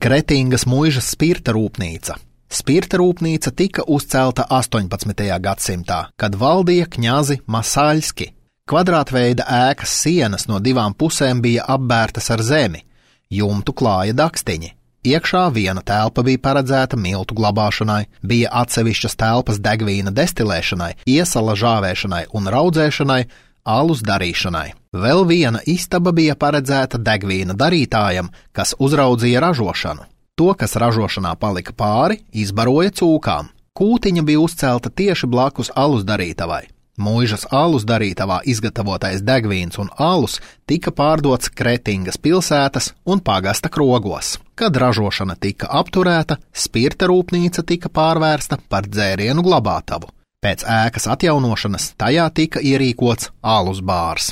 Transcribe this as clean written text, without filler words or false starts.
Kretingas muižas spirta rūpnīca. Spirta rūpnīca tika uzcelta 18. gadsimtā, kad valdīja kņazi Masaļski. Kvadrātveida ēkas sienas no divām pusēm bija apbērtas ar zemi, jumtu klāja dakstiņi. Iekšā viena telpa bija paredzēta miltu glabāšanai, bija atsevišķas telpas degvīna destilēšanai, iesala žāvēšanai un raudzēšanai, alus darīšanai. Vēl viena istaba bija paredzēta degvīna darītājam, kas uzraudzīja ražošanu. To, kas ražošanā palika pāri, izbaroja cūkām. Kūtiņa bija uzcelta tieši blakus alus darītavai. Muižas alus darītavā izgatavotais degvīns un alus tika pārdots Kretingas pilsētas un pagasta krogos. Kad ražošana tika apturēta, spirta rūpnīca tika pārvērsta par dzērienu glabātavu. Pēc ēkas atjaunošanas tajā tika ierīkots alus bārs.